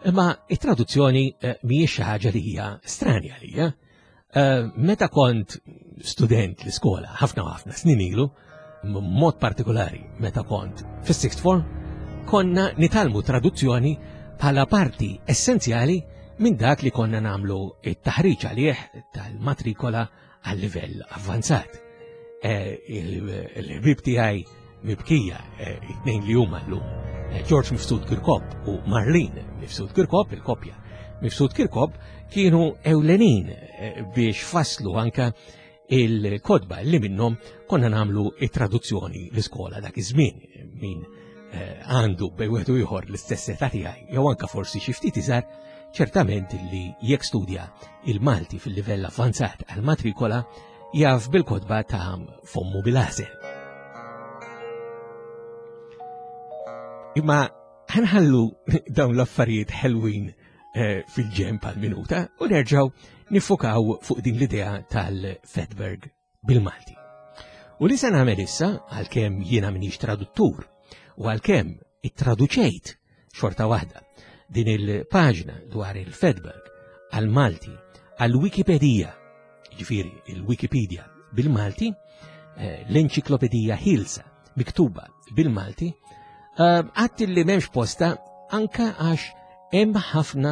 imma it-traduzzjoni eh, mhijiex xi ħaġa li hija stranja lija. Eh, meta kont student l-iskola ħafna ħafna snin ilu, mod partikolari meta kont fis-sixth form, konna nitalmu traduzzjoni bħala parti essenzjali minn dak li konna namlu it-taħriġ għalih tal-matrikola għal livell avvanzat. Eh, il-ħbib tiegħi mibkija, eh, it-tnejn li huma llum, eh, George Mifsud Kirkop u Marlene Mifsud Kirkop, il-koppja Mifsud Kirkop, kienu ewlenin eh, biex faslu anka il-kodba li minnhom konna namlu it-traduzzjoni l-iskola dak iż-żmien min għandu bej wieħed u ieħor l-istess età tiegħi jew anka forsi xi ftit iżgħar, ċertament li jekk studja il-Malti fil-livell avvanzat għal-matrikola jaf bil-kodba ta' Fommu bil-Għażel. Imma ħanħallu dawn l-affarijiet ħelwin eh, fil-ġemp għal-minuta u nerġaw nifukaw fuq din l-idea tal-Fedberg bil-Malti. U li se nagħmel issa, għalkemm jiena minix traduttur u għalkemm ittraduċejt xorta waħda din il-paġna dwar il-Fedberg għal-Malti għal-Wikipedija, ġifieri il-Wikipedia bil-Malti, eh, l-enċiklopedija ħilsa miktuba bil-Malti, għadt li m'hemmx posta anka għax hemm ħafna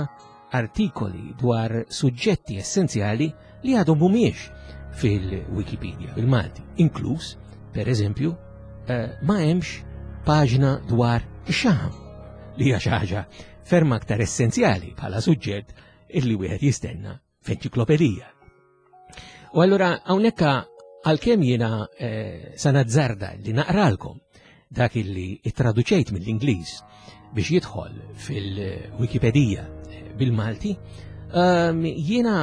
artikoli dwar suġġetti essenzjali li għadhom mhumiex fil-Wikipedia bil-Malti, inkluż, per eżempju, eh, ma hemmx paġna dwar ix-xaħam, li hija xi ħaġa ferm aktar essenzjali bħala suġġett illi wieħed jistenna f'enċiklopedija. U allura hawnhekk għalkemm jiena eh, sa nazzarda li naqralkom dak illi ittraduċejt mill-Ingliż biex jidħol fil-Wikipedija bil-Malti, ehm, jiena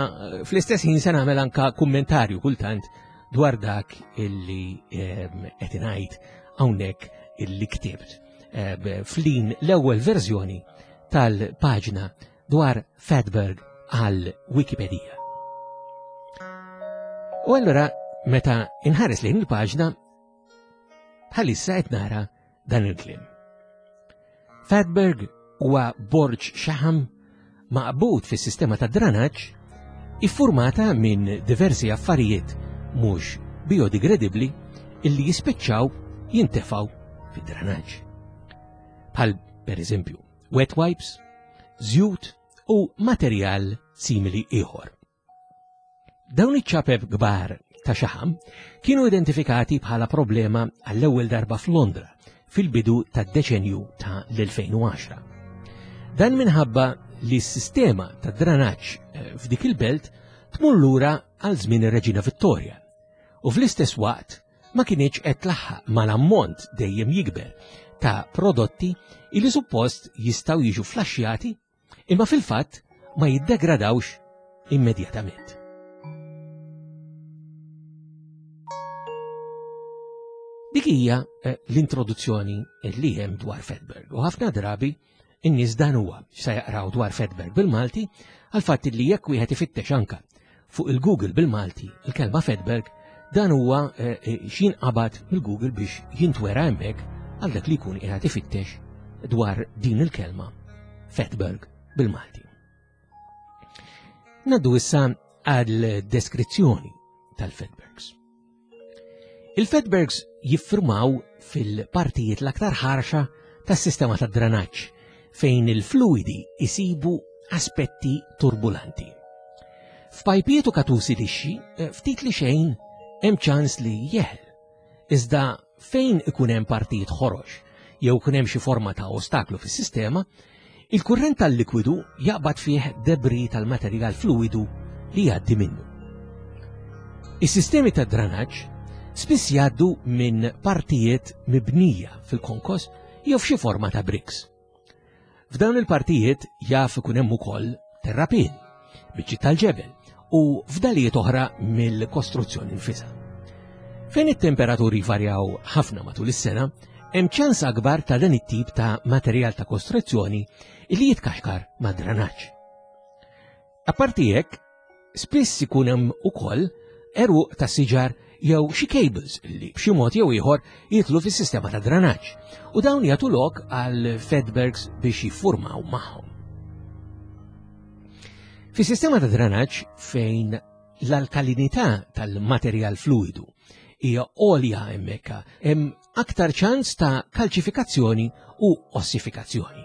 fl-istess ħin se nagħmel anka kummentarju kultant dwar dak illi ehm, qed ingħid hawnhekk illi ktibt ehm, flin l-ewwel verżjoni tal-paġna dwar Fedberg għal Wikipedija. U allura meta inħares lejn il-paġna bħalissa qed nara dan il-kliem. Fedberg huwa borġ xaħam maqbud fis-sistema ta' dranaġġ iffurmata minn diversi affarijiet mhux biodegradabbli illi jispiċċaw jintefgħu fid-dranaġġ. Bħal per eżempju wet wipes, żjut u materjal simili ieħor. Dawn iċ-ċapep kbar ta' xaħam kienu identifikati bħala problema għall-ewwel darba f'Londra fil-bidu tad-deċenju ta' l-elfejn u għaxra. Dan minħabba li s-sistema ta' dranaġġ eh, f'dik il-belt tmur lura għal żmien ir-Reġina Vittoria u fl-istess waqt ma kienx qed tlaħħaq mal-ammont dejjem jikber ta' prodotti illi suppost jistgħu jiġu flaxxjati imma fil-fatt ma jiddegradawx immedjatament. Dik hija eh, l-introduzzjoni li hemm dwar Fedberg u ħafna drabi in-nies dan huwa se jaqraw dwar Fedberg bil-Malti għal fatt li jekk wieħed ifittex anka fuq il-Google bil-Malti il-kelma Fedberg dan huwa eh, eh, x'inqabad mill-Google biex jintwera hemmhekk għal dak li jkun qiegħed ifittex dwar din il-kelma Fedberg bil-Malti. Naddu issa għal deskrizzjoni tal-Fedbergs. Il-Fedbergs jiffurmaw fil-partijiet l-aktar ħarxa tas-sistema tad-dranaġġ fejn il-fluidi isibu aspetti turbulanti. F'pajpijiet u katusi lixxi, eh, ftit li xejn hemm ċans li jeħel. Iżda fejn ikun hemm partijiet ħorox jew ikun hemm xi forma ta' ostaklu fis-sistema, il-kurrent tal-likwidu jaqbad fih debri tal-materjal fluidu li jgħaddi minnu. Is-sistemi tad dranaġġ spiss jgħaddu minn partijiet mibnija fil-konkos jew f'xi forma ta' briks. F'dawn il-partijiet jaf ikun hemm ukoll terrapien, biċċi tal-ġebel u fdalijiet oħra mill-kostruzzjoni nfisha. Fejn it-temperaturi varjaw ħafna matul is-sena, hemm ċans akbar ta' dan it-tip ta' materjal ta' kostruzzjoni li jitkaxkar ma' dranaġġ. Apparti hekk, spiss ikun hemm ukoll eruq ta' siġar jew xi cables li b'xi mod jew ieħor jidħlu fis-sistema ta' dranaġġ u dawn jagħtu lok għal Fedbergs biex jiffurmaw magħhom. Fis-sistema ta' dranaġġ fejn l-alkalinità tal-materjal fluidu hija għolja hemmhekk hemm aktar ċans ta' kalċifikazzjoni u ossifikazzjoni.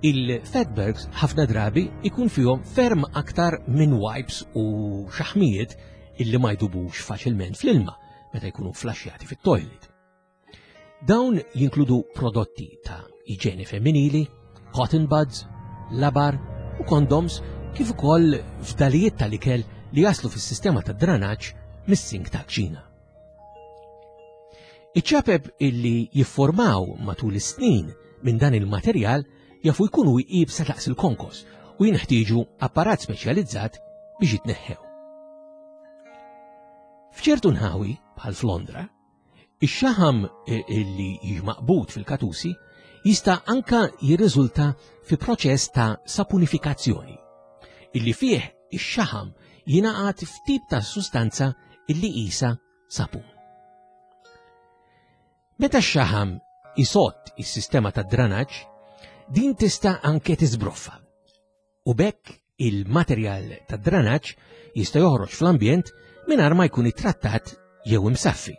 Il-Fedbergs ħafna drabi ikun fihom ferm aktar minn wipes u xaħmijiet illi ma jdubux faċilment fl-ilma meta jkunu flaxxjati fit-toilet. Dawn jinkludu prodotti ta' iġene femminili, cotton buds, labar u kondoms kif ukoll fdalijiet tal-ikel li jaslu fis-sistema tad dranaġġ mis-sink ta' kċina. Iċ-ċapep illi jiffurmaw matul is-snin minn dan il-materjal jafu jkunu iebsa daqs il-konkos u jinħtieġu apparat speċjalizzat biex jitneħħew. F'ċertu nħawi, bħal f'Londra, ix-xaħam illi jiġi maqbud fil-katusi jista' anka jirriżulta fi proċess ta' sapunifikazzjoni, illi fih ix-xaħam jingħaqad f'tip ta' sustanza illi qisha sapun. Meta x-xaħam isott is-sistema tad dranaġġ, din tista' anke tiżbroffa. U b'hekk il-materjal tad dranaġġ jista' joħroġ fl-ambjent mingħajr ma jkun ittrattat jew imsaffi.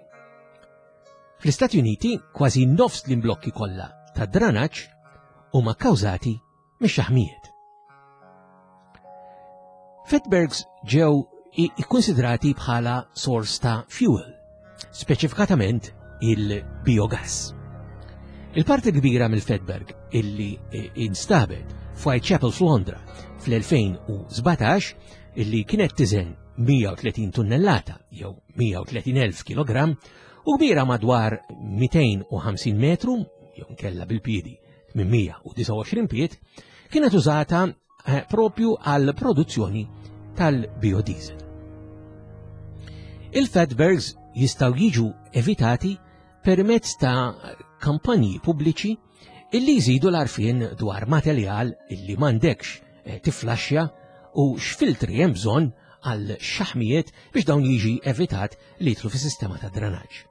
Fl-Istati Uniti kważi nofs l-imblokki kollha tad dranaġġ huma kkawżati mix-xaħmijiet. Fedbergs ġew ikkonsidrati bħala sors ta' fuel, speċifikatament il-biogas. Il-parti kbira mill-Fedberg illi instabet f'Whitechapel f'Londra fl-elfejn u sbatax illi kienet tiżen mija u tletin tunnellata jew mija u tletin elf kilogramm u kbira madwar mitejn u ħamsin metru jew nkella bil-piedi minn mija u disgħa u għoxrin pied, kienet użata, eh, propju għal produzzjoni tal-biodiesel. Il-Fedbergs jistgħu jiġu evitati permezz ta' kampanji pubbliċi illi jżidu l-għarfien dwar materjal illi m'għandekx, eh, tiflaxxa u x'filtri hemm bżonn għal xaħmijiet biex dawn jiġi evitat li jidħlu fis-sistema ta' dranaġġ.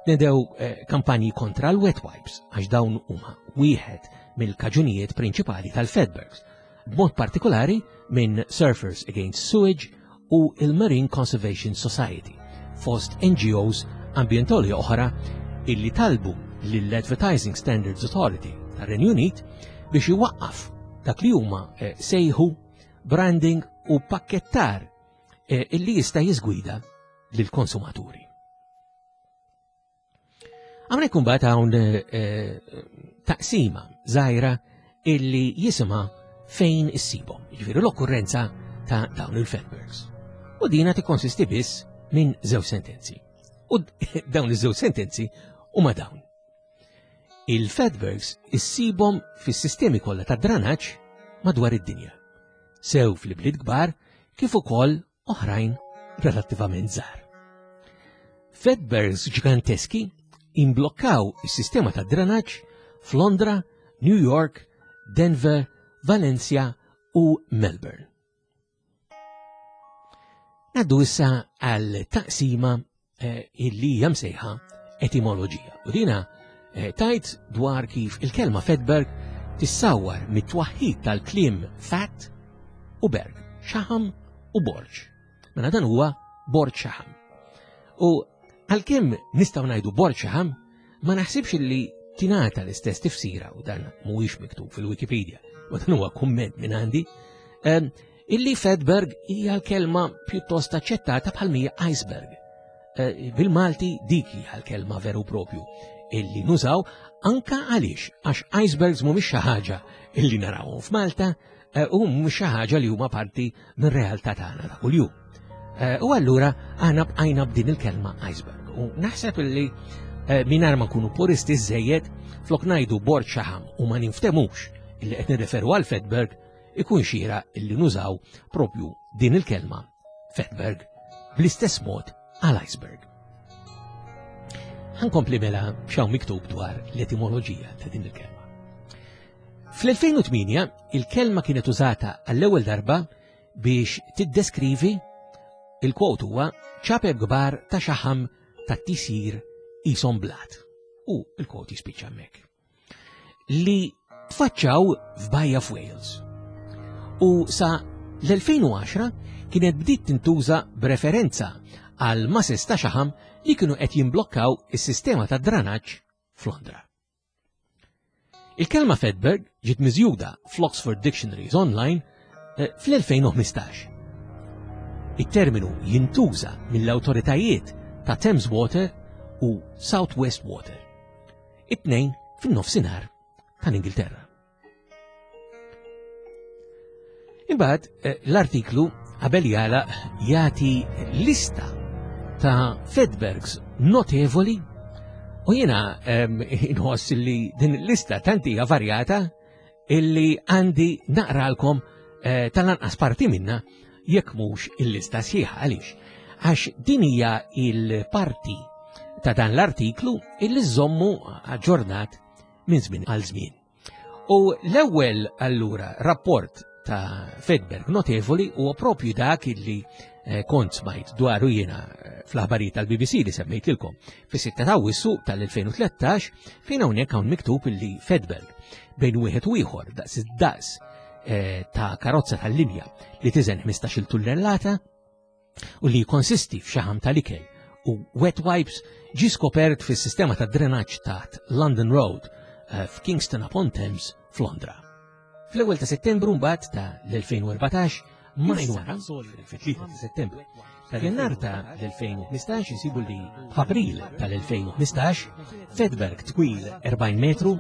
Nedew, eh, kampanji kontra l-wet wipes għax dawn huma wieħed mill-kaġunijiet prinċipali tal-Fedbergs, b'mod partikolari minn Surfers Against Sewage u il-Marine Conservation Society, fost N G Os ambjentali oħra illi talbu lill-Advertising Standards Authority tar-Renju Unit biex iwaqqaf dak li huma, eh, sejħu branding u pakkettar, eh, illi jista' jiżgwida lill-konsumaturi. Hawnhekk imbagħad hawn, eh, taqsima żgħira illi jisimha fejn issibhom, jiġifieri l-okkurrenza ta' dawn il-Fedbergs. U dina tikkonsisti biss minn żewġ sentenzi. U dawn iż-żewġ sentenzi huma dawn. Il-fatbergs issibhom fis-sistemi kollha ta' dranaġġ madwar id-dinja, sew fl-ibliet kbar kif ukoll oħrajn relattivament żgħar. Fatbergs ġiganteski imblokkaw is-sistema ta' dranaġġ f'Londra, New York, Denver, Valencia u Melbourne. Naddu issa għal taqsima eh, illi hija msejħa etimoloġija. U dina eh, tajt dwar kif il-kelma fatberg tissawwar mit-twaħħid tal-kliem fat u berg, xaħam u borġ. Mela dan huwa borġ xaħam. U għalkemm nistgħu ngħidu borġ xaħam, ma naħsibx li tingħata l-istess tifsira u dan mhuwiex miktub fil-Wikipedia, u dan huwa kumment minn għandi, eh, illi fatberg hija l-kelma pjuttost aċċettata bħal mija iceberg. Eh, bil-Malti dik hija l-kelma veru propju illi nużaw anka għaliex għax icebergs mhumiex xi ħaġa illi narawhom f'Malta eh, u mhumiex xi ħaġa li huma parti mir-realtà tagħna ta' kuljum. Eh, u allura aħna bqajna b'din il-kelma iceberg. U naħseb illi mingħajr ma nkunu puristi żejjed flok ngħidu bord xaħam u ma ninftemux illi qed nirreferu għal fatberg ikun xira illi nużaw propju din il-kelma fatberg bl-istess mod għal iceberg. Ħankompli mela x'hawn miktub dwar l-etimoloġija ta' din il-kelma. Fl-elfejn u tmienja il-kelma kienet użata għall-ewwel darba biex tiddeskrivi il-kwot huwa ċapep kbar ta' xaħam ta' tisir qishom blat. U il-kwot jispiċċa hemmhekk. Li tfaċċaw f'Bajja f'Wales. U sa l-elfejn u għaxra kienet bdiet tintuża b'referenza għal mases ta' xaħam li kienu qed jimblokkaw is-sistema ta' dranaġġ f'Londra. Il-kelma fatberg ġiet miżjuda fl-Oxford Dictionaries Online, eh, fl-elfejn u ħmistax. Il-terminu jintuża mill-awtoritajiet ta' Thames Water u South West Water, it-tnejn fin-nofsinhar tal-Ingilterra. Imbagħad, eh, l-artiklu qabel jagħlaq jagħti lista ta' fatbergs notevoli u jiena, ehm, inħoss li din il-lista tant hija varjata illi għandi naqralkom, eh, tal-anqas parti minna jekk mhux il-lista sħiħa. Għaliex? Għax din hija il-parti ta' dan l-artiklu illi żommu aġġornat minn żmien għal żmien. U l-ewwel allura rapport ta' fatberg notevoli huwa propju dak illi, eh, kont smajt dwaru jiena, eh, fl-aħbarijiet tal-B B C li semmejtilkom fis-sitta ta' Awwissu tal-elfejn u tlettax, fejn hawnhekk hawn miktub illi fatberg bejn wieħed u ieħor daqs id-daqs, eh, ta' karozza tal-linja li tiżen ħmistax-il tunnellata u li jikkonsisti f'xaħam tal-ikel u wet wipes ġie skopert fis-sistema ta' drenaġġ taħt London Road, eh, f'Kingston upon Thames f'Londra. Fl-ewwel ta' Settembru mbagħad ta' l-elfejn u erbatax, majn wara, fit-tlieta ta' Settembru, ta' Jannar ta' l-elfejn u ħmistax insibu li f'April tal-elfejn u ħmistax, fatberg twil erbgħin metru,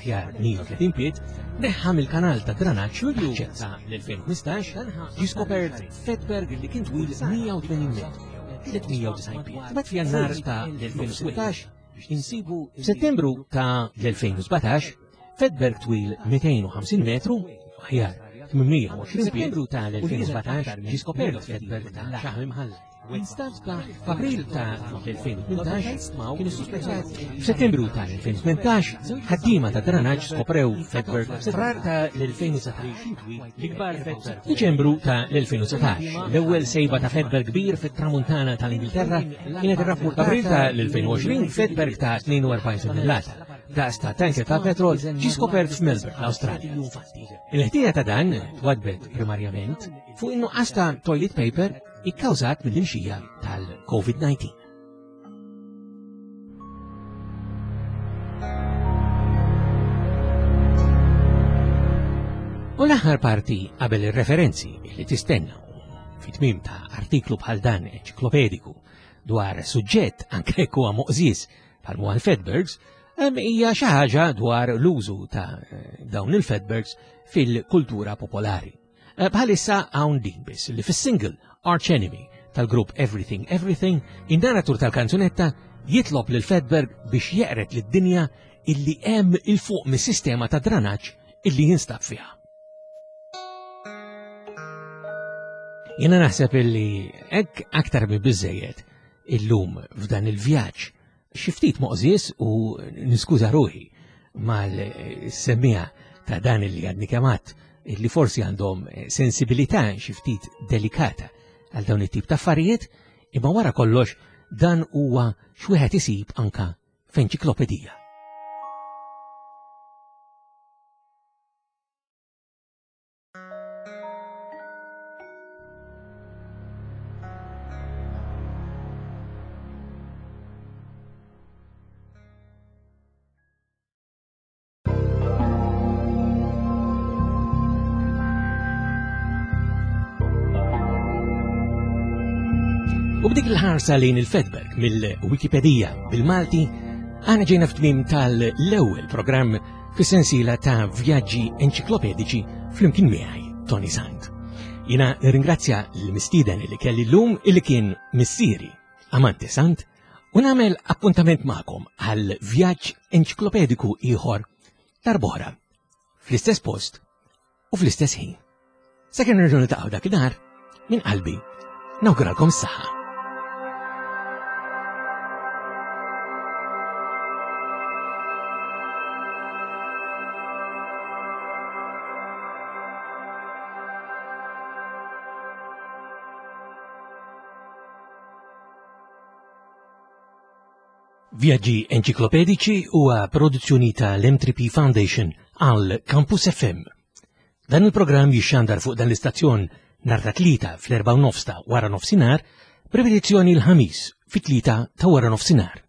ħjar mija u tletin pied, neħħa mill-kanal ta' dranaġġ Lulju ta' l-elfejn u ħmistax, ġie skopert fatberg li kien twil mija u tmenin metru, tliet mija u disgħin pied. Mbagħad f'Jannar ta' l-elfejn u sittax, insibu f'Settembru ta' l-elfejn u sbatax, fatberg twil mitejn u ħamsin metru, aħjar tmien u għoxrin Settembru ta' l-elfejn u sbatax ġie skopert fatberg ta' xaħam imħallat. Instab ta' f'April ta' l-elfejn u tmintax kien issuspettat. F'Settembru ta' l-elfejn u tmintax ħaddiema ta' dranaġġ skoprew fatberg. Frar ta' l-elfejn u satax l-ikbar fatberg. Diċembru ta' l-elfejn u satax l-ewwel sejba ta' fatberg kbir fit-tramuntana tal-Ingilterra kienet irrappurtata. F'April ta' l-elfejn u għoxrin fatberg ta' tnejn u erbgħin tunnellata daqs ta' tanker ta' petrol ġie skopert f'Melbourne, l-Awstralja. Il-ħtija ta' dan twadbet primarjament fuq in-nuqqas ta' toilet paper ikkawżat mill-imxija tal-COVID nineteen. U l-aħħar parti qabel ir-referenzi li tistenna fi tmiem ta' artiklu bħal dan enċiklopediku dwar suġġett anke jekk huwa moqżież bħal huwa l-fatbergs, hemm hija xi ħaġa dwar l-użu ta' dawn il-fatbergs fil-kultura popolari. Eh, bħalissa hawn din biss li fis-single Arch Enemy tal-grupp Everything Everything, in-narratur tal-kanzunetta jitlob lil fatberg biex jeqret lid-dinja illi hemm 'il fuq mis-sistema ta' dranaġġ illi jinstab fiha. Jiena naħseb illi hekk aktar minn biżejjed illum f'dan il-vjaġġ xi ftit moqżież u niskuża ruħi mal-semmiegħa ta' dan illi għadni kemm għedt illi forsi għandhom sensibilità xi ftit delikata għal dawn it-tip ta' affarijiet, imma wara kollox dan huwa x'wieħed isib anka f'enċiklopedija. U b'dik il-ħarsa lejn il-Fatberg mill-Wikipedija bil-Malti, għana ġejna f'tmiem tal-ewwel programm fis-sensiela ta' vjaġġi enċiklopediċi flimkien miegħi Toni Sant. Jiena nirringrazzja l-mistieden li kelli llum illi kien missieri Amante Sant u nagħmel appuntament magħkom għal vjaġġ enċiklopediku ieħor darb'oħra fl-istess post u fl-istess ħin. Sakemm nerġgħu niltaqgħu dakinhar, minn qalbi nawguralkom s-saħħa. Vjaġġi Enċiklopediċi huwa produzzjoni tal-M three P Foundation għal Campus F M. Dan il-programm jixxandar fuq dan l-istazzjon nhar ta' tlieta fl-erba' u nofs ta' wara nofsinhar, b'ripetizzjoni l-ħamis fit-tlieta ta' wara nofsinhar.